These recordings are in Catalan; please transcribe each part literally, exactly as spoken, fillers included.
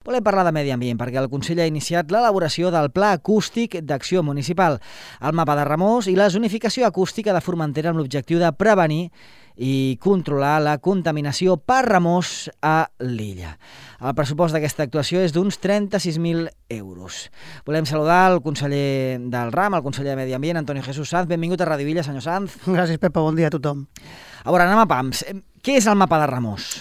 Volem parlar de medi ambient perquè el Consell ha iniciat l'elaboració del Pla Acústic d'Acció Municipal, el mapa de Remors i la zonificació acústica de Formentera amb l'objectiu de prevenir i controlar la contaminació per remors a l'illa. El pressupost d'aquesta actuació és d'uns trenta-sis mil euros. Volem saludar el conseller del RAM, el conseller de Medi Ambient, Antonio Jesús Sanz. Benvingut a Ràdio Villa, senyor Sanz. Gràcies, Pepa. Bon dia a tothom. A veure, anem a pams. Què és el mapa de Remors?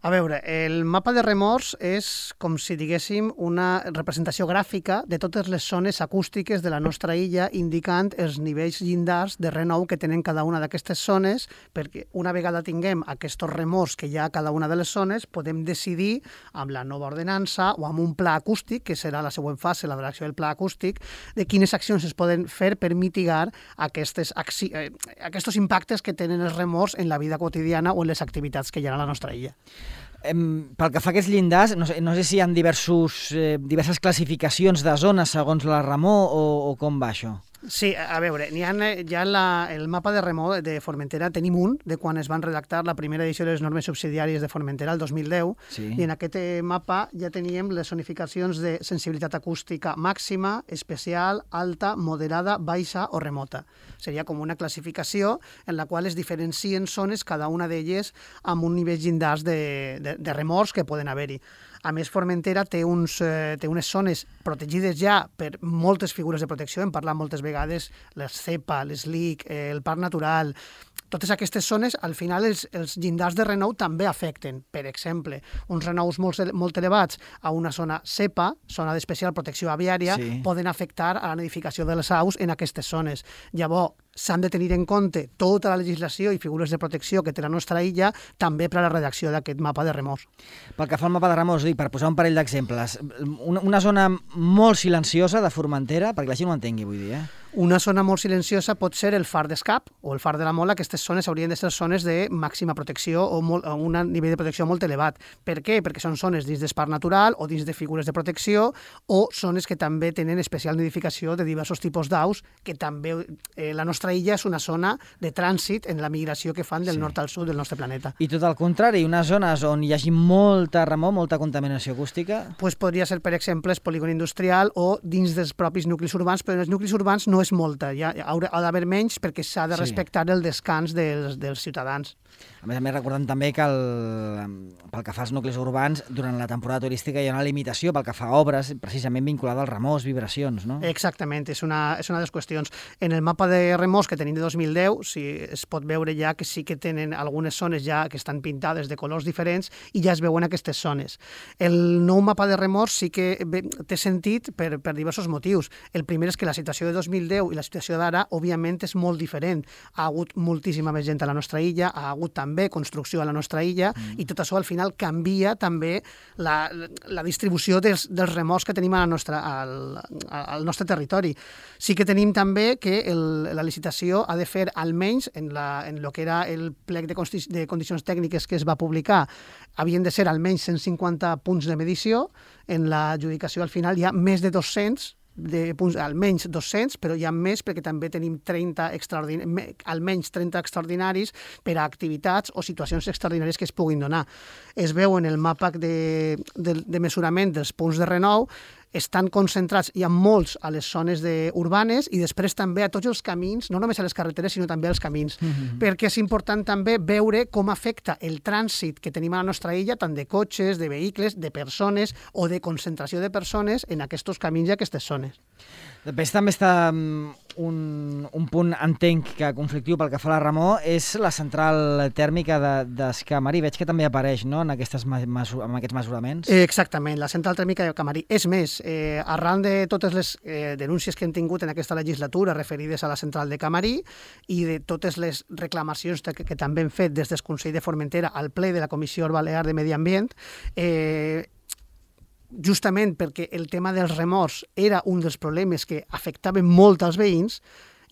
A veure, el mapa de Remors és com si diguéssim una representació gràfica de totes les zones acústiques de la nostra illa, indicant els nivells llindars de renou que tenen cada una d'aquestes zones, perquè una vegada tinguem aquests remors que hi ha a cada una de les zones, podem decidir amb la nova ordenança o amb un pla acústic, que serà la següent fase, la redacció del pla acústic, de quines accions es poden fer per mitigar aquestes, eh, aquests impactes que tenen els remors en la vida quotidiana o en les activitats que hi ha a la nostra illa. Pel que fa a aquests llindars, no sé, no sé si hi ha diversos, eh, diverses classificacions de zones segons la remor o, o com va això. Sí, a veure, n'hi ha ja la, el mapa de remor de Formentera, tenim un, de quan es van redactar la primera edició de les normes subsidiàries de Formentera, el dos mil deu, sí. I en aquest mapa ja teníem les zonificacions de sensibilitat acústica màxima, especial, alta, moderada, baixa o remota. Seria com una classificació en la qual es diferencien zones, cada una d'elles amb un nivell llindars de, de, de remors que poden haver-hi. A més, Formentera té, uns, eh, té unes zones protegides ja per moltes figures de protecció. Hem parlat moltes vegades, la cepa, l'Slic, eh, el Parc Natural. Totes aquestes zones, al final, els, els llindars de renou també afecten. Per exemple, uns renous molt, molt elevats a una zona cepa, zona d'especial protecció aviària, sí. Poden afectar a la nidificació de les aus en aquestes zones. Llavors, s'han de tenir en compte tota la legislació i figures de protecció que té la nostra illa, també per a la redacció d'aquest mapa de remors. Pel que fa al mapa de remors, dic, per posar un parell d'exemples, una, una zona molt silenciosa de Formentera, perquè la gent ho entengui, vull dir, eh? Una zona molt silenciosa pot ser el far d'Escap o el far de la Mola. Aquestes zones haurien de ser zones de màxima protecció o, molt, o un nivell de protecció molt elevat. Per què? Perquè són zones dins d'espai natural o dins de figures de protecció o zones que també tenen especial nidificació de diversos tipus d'aus, que també eh, la nostra illa és una zona de trànsit en la migració que fan del sí. nord al sud del nostre planeta. I tot al contrari, unes zones on hi hagi molta remor, molta contaminació acústica? Pues podria ser, per exemple, el polígon industrial o dins dels propis nuclis urbans, però en els nuclis urbans no és molta, ja ha d'haver menys perquè s'ha de respectar sí. el descans dels, dels ciutadans. A més a més, recordant també que el, pel que fa als nuclis urbans, durant la temporada turística hi ha una limitació pel que fa a obres, precisament vinculada als remors, vibracions, no? Exactament, és una, és una de les qüestions. En el mapa de remors que tenim de dos mil deu, sí, es pot veure ja que sí que tenen algunes zones ja que estan pintades de colors diferents i ja es veuen aquestes zones. El nou mapa de remors sí que té sentit per, per diversos motius. El primer és que la situació de dos mil deu i la situació d'ara, òbviament, és molt diferent. Ha hagut moltíssima més gent a la nostra illa, ha hagut també construcció a la nostra illa mm. i tot això al final canvia també la, la distribució dels, dels remors que tenim a la nostra, al, al nostre territori. Sí que tenim també que el, la licitació ha de fer almenys en, la, en lo que era el plec de, de condicions tècniques que es va publicar, havien de ser almenys cent cinquanta punts de medició. En l'adjudicació al final hi ha més de dos-cents de punts, almenys dos-cents, però hi ha més perquè també tenim trenta extraordinaris, almenys trenta extraordinaris per a activitats o situacions extraordinàries que es puguin donar. Es veu en el mapa de, de, de mesurament dels punts de renou, estan concentrats, hi ha molts a les zones de, urbanes i després també a tots els camins, no només a les carreteres, sinó també als camins, mm-hmm. perquè és important també veure com afecta el trànsit que tenim a la nostra illa, tant de cotxes, de vehicles, de persones o de concentració de persones en aquests camins i aquestes zones. Després també està un, un punt, entenc, que conflictiu pel que fa a la remor, és la central tèrmica d'Escamarí. Veig que també apareix, no?, en, aquestes, en aquests mesuraments. Exactament, la central tèrmica d'Escamarí. És més, eh, arran de totes les eh, denúncies que hem tingut en aquesta legislatura referides a la central de Camarí i de totes les reclamacions que, que també hem fet des del Consell de Formentera al ple de la Comissió Balear de Medi Ambient, eh, justament perquè el tema dels remors era un dels problemes que afectaven molt als veïns,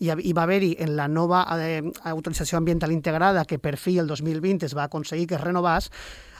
i va haver-hi en la nova eh, autorització ambiental integrada, que per fi el dos mil vint es va aconseguir que es renovés,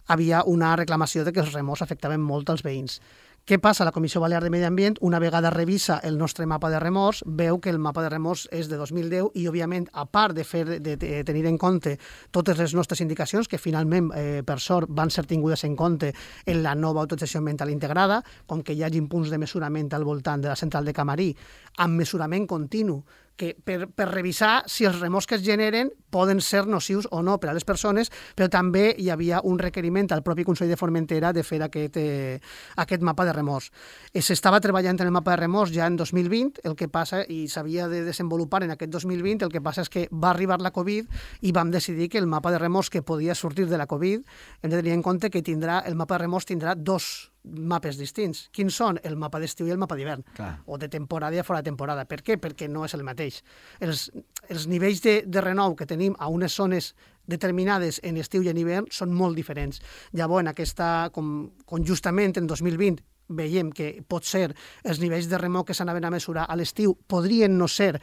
havia una reclamació de que els remors afectaven molt als veïns. Què passa? La Comissió Balear de Medi Ambient, una vegada revisa el nostre mapa de remors, veu que el mapa de remors és de dos mil deu i, òbviament, a part de, fer, de, de tenir en compte totes les nostres indicacions, que finalment, eh, per sort, van ser tingudes en compte en la nova autorització ambiental integrada, com que hi hagi punts de mesurament al voltant de la central de Camarí, amb mesurament continu, que per, per revisar si els remors que es generen poden ser nocius o no per a les persones, però també hi havia un requeriment al propi Consell de Formentera de fer aquest, eh, aquest mapa de remors. Eh, S'estava treballant en el mapa de remors ja en dos mil vint, el que passa, i s'havia de desenvolupar en aquest dos mil vint, el que passa és que va arribar la Covid i vam decidir que el mapa de remors que podia sortir de la Covid, hem de tenir en compte que tindrà, el mapa de remors tindrà dos mapes distints. Quins són? El mapa d'estiu i el mapa d'hivern. O de temporada i fora de temporada. Per què? Perquè no és el mateix. Els, els nivells de, de renou que tenim a unes zones determinades en estiu i en hivern són molt diferents. Llavors, en aquesta, com, com justament en dos mil vint veiem que pot ser els nivells de remou que s'anaven a mesurar a l'estiu podrien no ser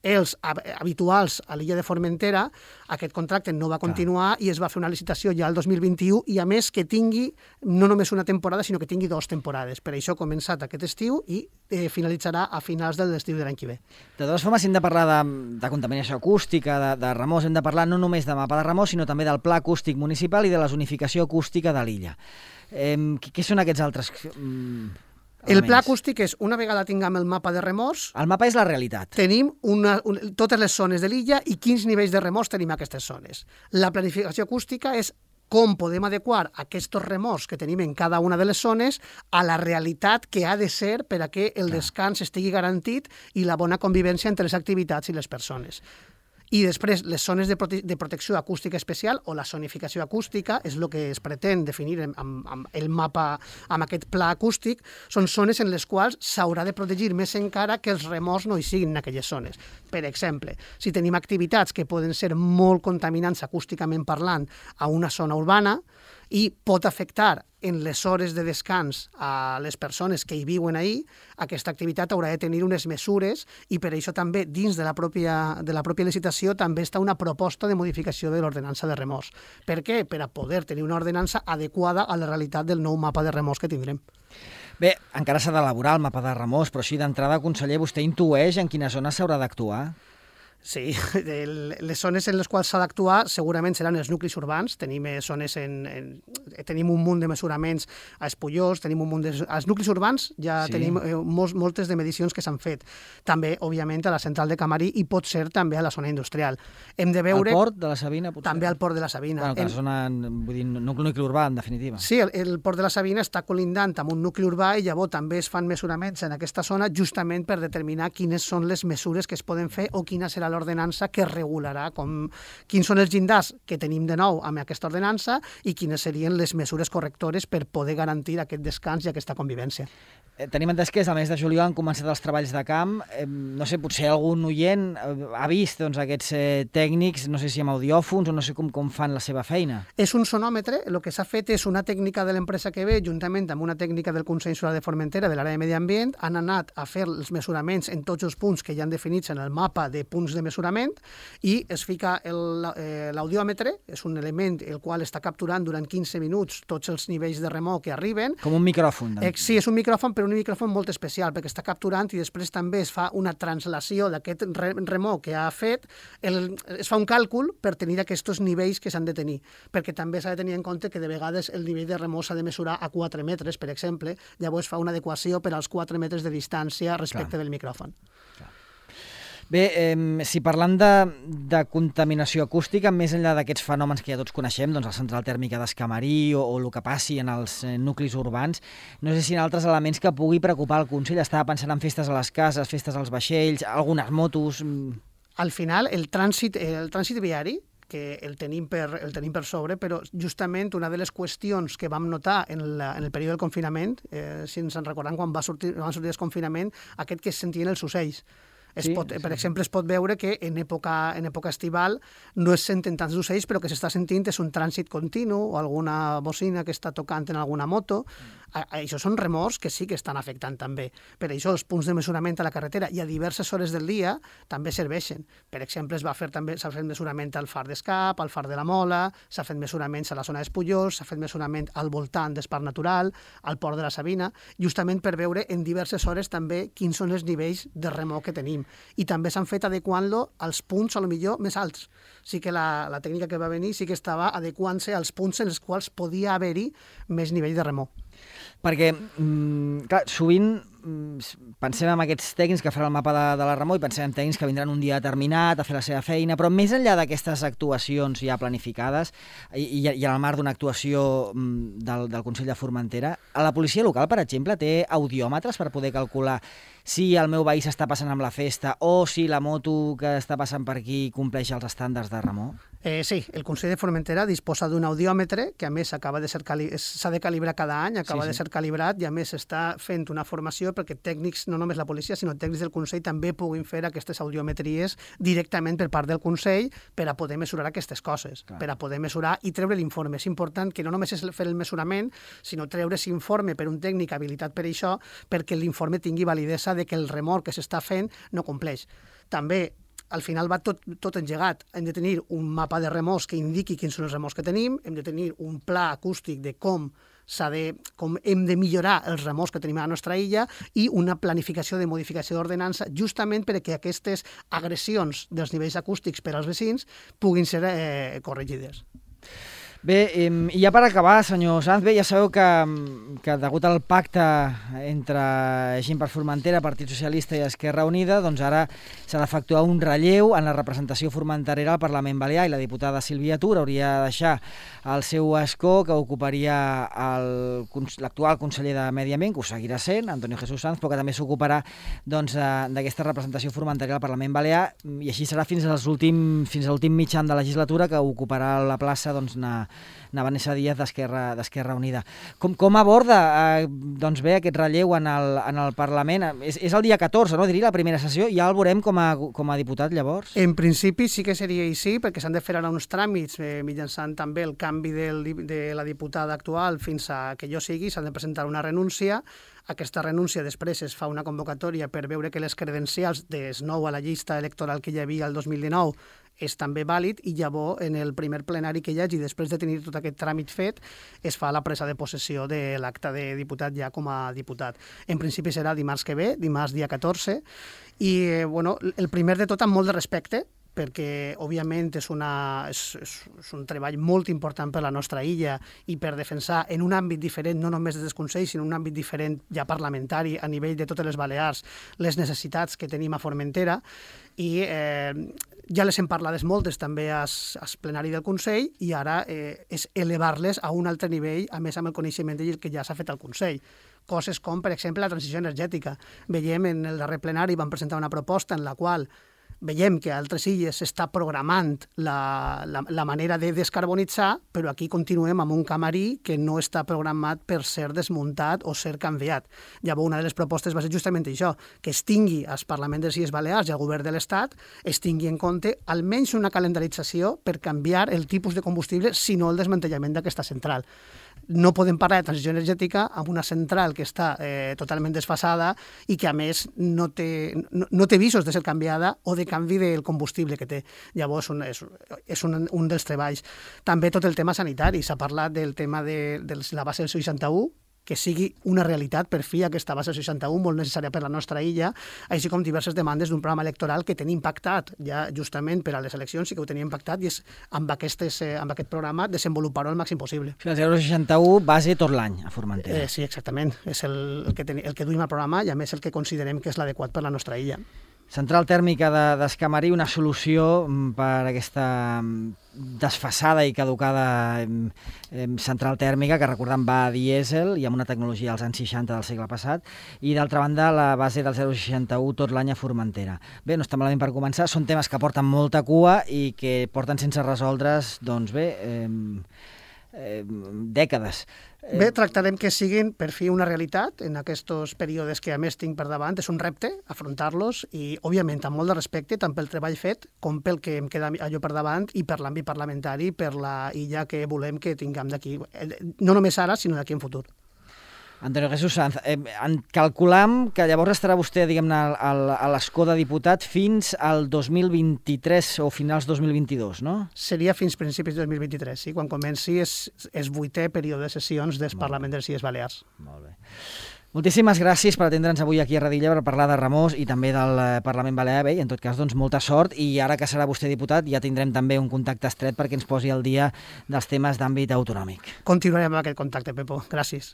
els habituals a l'illa de Formentera, aquest contracte no va continuar i es va fer una licitació ja el dos mil vint-i-u i, a més, que tingui no només una temporada, sinó que tingui dues temporades. Per això ha començat aquest estiu i eh, finalitzarà a finals de l'estiu de l'any que ve. De totes formes, si hem de parlar de, de contaminació acústica, de, de remors, hem de parlar no només de mapa de remors, sinó també del pla acústic municipal i de la zonificació acústica de l'illa. Eh, què són aquests altres... Mm... El pla acústic és, una vegada tinguem el mapa de remors... El mapa és la realitat. Tenim una, un, totes les zones de l'illa i quins nivells de remors tenim a aquestes zones. La planificació acústica és com podem adequar aquests remors que tenim en cada una de les zones a la realitat que ha de ser per a que el descans estigui garantit i la bona convivència entre les activitats i les persones. I després, les zones de, prote de protecció acústica especial o la zonificació acústica, és el que es pretén definir amb, amb el mapa, amb aquest pla acústic, són zones en les quals s'haurà de protegir més encara que els remors no hi siguin en aquelles zones. Per exemple, si tenim activitats que poden ser molt contaminants acústicament parlant a una zona urbana i pot afectar en les hores de descans a les persones que hi viuen ahí, aquesta activitat haurà de tenir unes mesures i per això també dins de la pròpia, de la pròpia licitació també està una proposta de modificació de l'ordenança de remors. Per què? Per a poder tenir una ordenança adequada a la realitat del nou mapa de remors que tindrem. Bé, encara s'ha d'elaborar el mapa de remors, però així d'entrada, conseller, vostè intueix en quina zona s'haurà d'actuar? Sí, les zones en les quals s'ha d'actuar segurament seran els nuclis urbans. Tenim zones en, en, tenim un munt de mesuraments a Espullós, tenim un munt de... Als nuclis urbans ja sí. tenim eh, molts, moltes de medicions que s'han fet. També, òbviament, a la central de Camarí i pot ser també a la zona industrial. Hem de veure... Al port de la Sabina, potser? També al port de la Sabina. Bueno, que la zona, vull dir, nucli urbà, en definitiva. Sí, el, el port de la Sabina està colindant amb un nucli urbà i llavors també es fan mesuraments en aquesta zona justament per determinar quines són les mesures que es poden fer o quina serà l'ordenança que regularà com, quins són els llindars que tenim de nou amb aquesta ordenança i quines serien les mesures correctores per poder garantir aquest descans i aquesta convivència. Eh, tenim entès que el mes de juliol han començat els treballs de camp. Eh, no sé, potser algun oient ha vist doncs, aquests eh, tècnics, no sé si amb audiòfons o no sé com, com fan la seva feina. És un sonòmetre, el que s'ha fet és una tècnica de l'empresa que ve, juntament amb una tècnica del Consell Insular de Formentera de l'àrea de Medi Ambient, han anat a fer els mesuraments en tots els punts que ja han definits en el mapa de punts de mesurament i es fica l'audiòmetre, és un element el qual està capturant durant quinze minuts tots els nivells de remor que arriben. Com un micròfon. Eh, sí, és un micròfon, però un micròfon molt especial, perquè està capturant i després també es fa una translació d'aquest remor que ha fet, el, es fa un càlcul per tenir aquests nivells que s'han de tenir, perquè també s'ha de tenir en compte que de vegades el nivell de remor s'ha de mesurar a quatre metres, per exemple, llavors fa una adequació per als quatre metres de distància respecte Clar. Del micròfon. Clar. Bé, eh, si parlant de, de contaminació acústica, més enllà d'aquests fenòmens que ja tots coneixem, doncs la central tèrmica d'Escamarí o, o el que passi en els eh, nuclis urbans, no sé si hi ha altres elements que pugui preocupar el Consell. Estava pensant en festes a les cases, festes als vaixells, algunes motos... Al final, el trànsit, el trànsit viari, que el tenim, per, el tenim per sobre, però justament una de les qüestions que vam notar en, la, en el període del confinament, eh, si ens en recordem quan va sortir, van sortir el confinament, aquest que es sentien els ocells. Es pot, per exemple, es pot veure que en època, en època estival no es senten tants ocells, però que s'està sentint és un trànsit continu o alguna bocina que està tocant en alguna moto. Mm. Això són remors que sí que estan afectant també. Per això els punts de mesurament a la carretera i a diverses hores del dia també serveixen. Per exemple, es va fer també s'ha fet mesurament al far d'Escap, al far de la Mola, s'ha fet mesuraments a la zona d'Espullós, s'ha fet mesurament al voltant d'Esparc Natural, al port de la Sabina, justament per veure en diverses hores també quins són els nivells de remor que tenim. I també s'han fet adequant-lo als punts, a lo millor, més alts. Sí que la, la tècnica que va venir sí que estava adequant-se als punts en els quals podia haver-hi més nivell de remor. Perquè, mm, clar, sovint pensem en aquests tècnics que faran el mapa de, de la remor i pensem en tècnics que vindran un dia determinat a fer la seva feina, però més enllà d'aquestes actuacions ja planificades i, i, i en el marc d'una actuació del, del Consell de Formentera, a la policia local, per exemple, té audiòmetres per poder calcular si el meu veí s'està passant amb la festa o si la moto que està passant per aquí compleix els estàndards de remor? Eh, sí, el Consell de Formentera disposa d'un audiòmetre que a més acaba de ser cali... s'ha de calibrar cada any, acaba sí, sí. de ser calibrat i a més s'està fent una formació perquè tècnics, no només la policia, sinó tècnics del Consell també puguin fer aquestes audiometries directament per part del Consell per a poder mesurar aquestes coses, Clar. per a poder mesurar i treure l'informe. És important que no només és fer el mesurament, sinó treure aquest informe per un tècnic habilitat per això, perquè l'informe tingui validesa de que el remor que s'està fent no compleix. També al final va tot, tot engegat. Hem de tenir un mapa de remors que indiqui quins són els remors que tenim, hem de tenir un pla acústic de com s'ha de, com hem de millorar els remors que tenim a la nostra illa i una planificació de modificació d'ordenança justament perquè aquestes agressions dels nivells acústics per als vecins puguin ser eh, corregides. Bé, i ja per acabar, senyor Sanz, bé, ja sabeu que, que degut al pacte entre Gent per Formentera, Partit Socialista i Esquerra Unida, doncs ara s'ha d'efectuar un relleu en la representació formenterera al Parlament Balear i la diputada Sílvia Tur hauria de deixar el seu escó que ocuparia el, l'actual conseller de Medi Ambient, que ho seguirà sent, Antonio Jesús Sanz, però que també s'ocuparà doncs, d'aquesta representació formenterera al Parlament Balear i així serà fins als últim, fins a l'últim mitjan de legislatura que ocuparà la plaça doncs, na, na Vanessa Díaz d'Esquerra d'Esquerra Unida. Com, com aborda eh, doncs bé aquest relleu en el, en el Parlament? És, és el dia catorze, no? Diria la primera sessió, ja el veurem com a, com a diputat llavors? En principi sí que seria així, perquè s'han de fer ara uns tràmits eh, mitjançant també el canvi del, de la diputada actual fins a que jo sigui, s'han de presentar una renúncia. Aquesta renúncia després es fa una convocatòria per veure que les credencials des nou a la llista electoral que hi havia el dos mil dinou és també vàlid i llavors en el primer plenari que hi hagi, després de tenir tot aquest tràmit fet, es fa la presa de possessió de l'acte de diputat ja com a diputat. En principi serà dimarts que ve, dimarts dia catorze, i eh, bueno, el primer de tot amb molt de respecte, perquè, òbviament, és, una, és, és un treball molt important per la nostra illa i per defensar en un àmbit diferent, no només des del Consell, sinó en un àmbit diferent ja parlamentari a nivell de totes les Balears, les necessitats que tenim a Formentera, i eh, ja les hem parlades moltes també al plenari del Consell i ara eh, és elevar-les a un altre nivell, a més amb el coneixement del que ja s'ha fet al Consell. Coses com, per exemple, la transició energètica. Veiem en el darrer plenari, vam presentar una proposta en la qual veiem que a altres illes s'està programant la, la, la manera de descarbonitzar, però aquí continuem amb un camarí que no està programat per ser desmuntat o ser canviat. Llavors, una de les propostes va ser justament això, que es tingui als Parlaments de les Illes Balears i al Govern de l'Estat, es tingui en compte almenys una calendarització per canviar el tipus de combustible, sinó el desmantellament d'aquesta central. No podem parlar de transició energètica amb una central que està eh, totalment desfasada i que, a més, no té, no, no té visos de ser canviada o de canvi del combustible que té. Llavors, un, és, és un, un dels treballs. També tot el tema sanitari. S'ha parlat del tema de, de la base del seixanta-u, que sigui una realitat per fi aquesta base seixanta-u, molt necessària per la nostra illa, així com diverses demandes d'un programa electoral que tenim pactat ja justament per a les eleccions, sí que ho teníem pactat, i és amb, aquestes, eh, amb aquest programa desenvolupar-ho al màxim possible. El zero coma seixanta-u base tot l'any a Formentera. Eh, sí, exactament. És el, el, que ten, el que duim al programa i a més el que considerem que és l'adequat per la nostra illa. Central tèrmica d'Escamarí, una solució per aquesta desfasada i caducada central tèrmica que, recordem, va a dièsel i amb una tecnologia als anys seixanta del segle passat, i d'altra banda la base del zero coma seixanta-u tot l'any a Formentera. Bé, no està malament per començar, són temes que porten molta cua i que porten sense resoldre's, doncs bé, eh, eh, dècades. Bé, tractarem que siguin per fi una realitat en aquests períodes que a més tinc per davant. És un repte afrontar-los i, òbviament, amb molt de respecte tant pel treball fet com pel que em queda allò per davant i per l'àmbit parlamentari, per la illa que volem que tinguem d'aquí, no només ara, sinó d'aquí en futur. Antonio Jesús Sanz, eh, calculam que llavors estarà vostè, diguem-ne, a l'escó de diputat fins al dos mil vint-i-tres o finals dos mil vint-i-dos, no? Seria fins principis de dos mil vint-i-tres, sí, quan comenci és, és vuitè període de sessions del Parlament de les Illes Balears. Molt bé. Moltíssimes gràcies per atendre'ns avui aquí a Redilla per parlar de Remós i també del Parlament Balear. Bé, i en tot cas, doncs, molta sort, i ara que serà vostè diputat ja tindrem també un contacte estret perquè ens posi al dia dels temes d'àmbit autonòmic. Continuarem amb aquest contacte, Pepo. Gràcies.